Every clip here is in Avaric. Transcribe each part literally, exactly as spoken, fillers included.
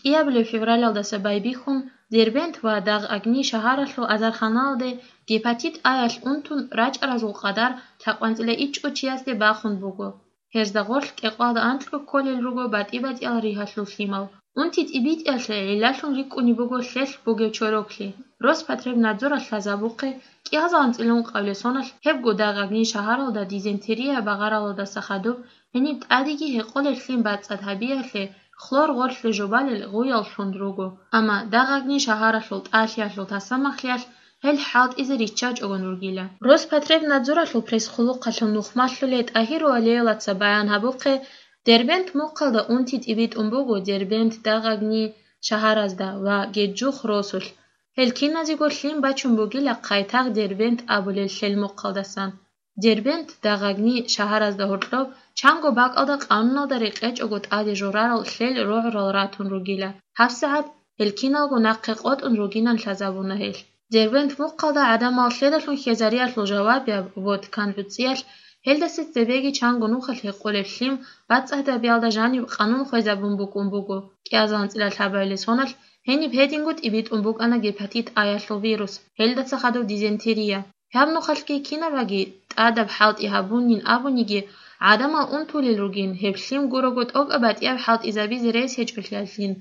кӀиабилеб февралалдаса байбихьун, Дербент ва Дагъ-Агни шагьаралъул азарханалде гепатит А-ялъ унтун рачӀаразул къадар лъабкъанцӀила ичӀго чиясде бахун буго. Гьезда гъорлъ кӀикъоялда анкьго кколел руго батӀи-батӀиял ригьалъул лъимал. Унти тӀибитӀиялъе гӀиллалъун рикӀкӀунеб буго лъелъ бугеб чороклъи. Роспотребнадзоралъ лъазабухъе, кӀиазалан цӀилун къавлесоналъ гьебго Дагъ-Агни шагьаралда дизентерия багъаралдаса хадуб гьениб тӀадеги гьекъолеб лъим бацӀцӀад гьабиялъе хлор гъорлъе жубалел гъуяллъун руго. Амма Дагъ-Агни шагьаралъул тӀалъиялъул тасамахлъиялъ гьел хӀалтӀизе риччачӀогон ругила. Роспотребнадзоралъул пресс-хъулухъалъул нухмалъулей ТӀагьир Валееваца баян гьабухъе, Дербент мухъалда унти тӀибитӀун буго Дербент, Дагъ-Агни шагьаразда ва Геджух росулъ. Гьел киназего лъим бачун бугила Хъайтагъ Дербент абулел лъел мухъалдасан. Дербент, Дагъ-Агни шагьаразда гьоркьоб чанго бакӀалда къануналда рекъечӀого тӀаде жорарал лъел рогӀурал ратун ругила. ГьабсагӀат гьел киналго нахъе къотӀун ругинан лъазабуна гьелъ. Дербент мухъалда гӀадамал лъедалъун хьезариялъул жавабияб, вот, кан гӀуцӀиялъ, гьелдаса цебеги чанго нухалъ гьекъолеб лъим бацӀцӀадабиялда жаниб къанун хвезабун букӀун буго. КӀиазалан цӀила лъабабилеб соналъ гьениб гьединго тӀибитӀун букӀана гепатит А-ялъул вирус, гьелдаса хадуб дизентерия. Гьаб нухалъги кинабаги тӀадаб хӀалтӀи гьабунин абуниги, гӀадамал унтулел ругин, гьеб лъим гурого тӀокӀаб батӀияб хӀалтӀизабизе рес гьечӀолъиялъин,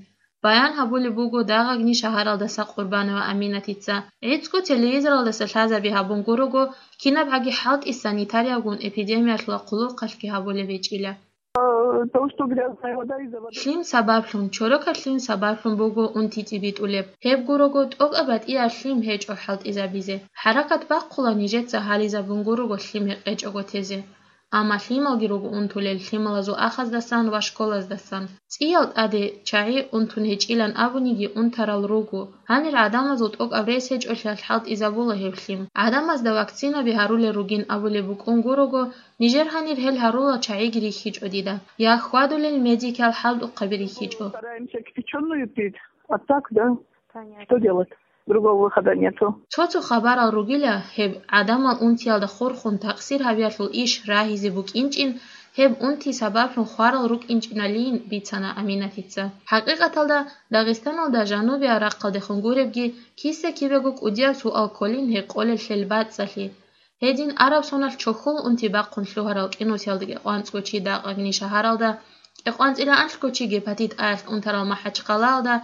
баян гьабулеб буго Дагъ-Агни шагьаралдаса Къурбанова Аминатица. ГӀицӀго телевизоралдаса лъазаби гьабун гурого, кинаб гьаги хӀалтӀи санитариябгун эпидемиялъула хъулухъалъги гьабулеб гьечӀила. Э, то, что грязная вода из-за воды. Лъим сабаблъун, чорокаб лъим сабаблъун буго унти тӀибитӀулеб. Гьеб гурого тӀокӀаб батӀияб лъим гьечӀо хӀалтӀизабизе. ХӀаракат бахъула нижеца гьализабун гурого лъим гьекъечӀого тезе. Амма лъималги руго унтулел лъималазул ахаздасан ва школаздасан. ЦӀиял тӀаде чагӀи унтун гьечӀилан абуниги унтарал руго. Гьанир гӀадамазул тӀокӀаб рес гьечӀолъиялъ хӀалтӀизабула гьеб лъим. ГӀадамазда вакцинаби гьарулел ругин абулеб букӀун гурого, нижер гьанир гьел гьарулал чагӀиги рихьичӀо дида. Я хьвадулел медикал хӀалтӀухъаби рихьичӀо. Стараемся кипячёную пить, а так, да, что делать? Другого выхода нету. Цо-цо хабарал ругила, гьеб гӀадамал унтиялда хурхун такъсир гьабиялъул иш рагьизе букӀинчӀин, гьеб унти сабаблъун хварал рукӀинчӀиналин бицана Аминатица. ХӀакъикъаталда, Дагъистаналда жанубияб рахъалдехун гуребги, киса-кибего кӀудияб суал кколин гьекъолел лъел бацӀцӀалъи. Гьедин араб соналъ чохьул унти бахъун лъугьарал кӀинусиялдаги къванцӀго чи Дагъ-Агни шагьаралда, кӀикъванцӀила анлъго чи гепатит А-ялъ унтарал МахӀачхъалаялда,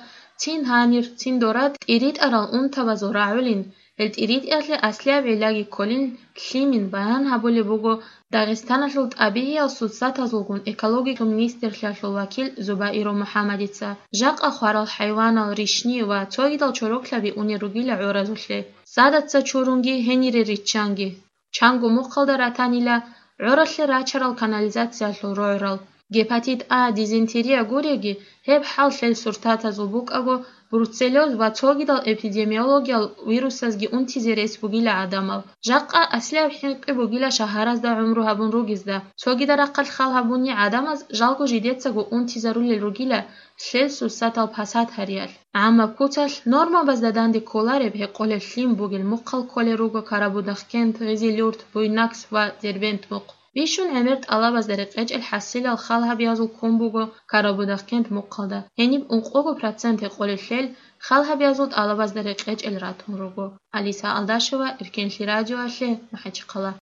цин гьанир, цин дора тӀиритӀарал унтабазул рагӀулин, гьел тӀиритӀиялъе аслияб гӀиллаги кколин лъимин баян гьабулеб буго Дагъистаналъул тӀабигӀиял сурсатазулгун экологиялъул министрлъиялъул вакил Зубаиров МухӀаммадица. Жакъа хварал хӀайванал, ришни ва цогидал чороклъаби унел ругила гӀоразулъе. Садаца чурунги гьенире риччанги. Чанго мухъалда ратанила гӀоралъе рачарал канализациялъул рогӀурал. Гепатит А, дизентерия гуреги, гьеб хӀал лъел сурсатазул букӀаго, бруцеллез ва цогидал эпидемиологиял вирусазги унтизе рес бугила гӀадамал. Жакъа аслияб хӀинкъи бугила шагьаразда гӀумру гьабун ругезда. Цогидал рахъалъ хал гьабуни гӀадамаз жалго жидецаго унтизарулел ругила лъел сурсатал пасат гьариялъ. ГӀаммаб куцалъ нормабазда данде кколареб гьекъолеб лъим бугел мухъал кколел руго Карабудахкент, Гъизилюрт, Буйнакск ва Дербент мухъ. Бищун гӀемер тӀалабазда рекъечӀел хӀасилал хал гьабиязул ккун буго Карабудахкент мухъалда. Гьениб ункъого процент гьекъолел лъел хал гьабиязул тӀалабазда рекъечӀел ратун руго. Алиса Алдашева, Эркенлъи радиоялъе, МахӀачхъала.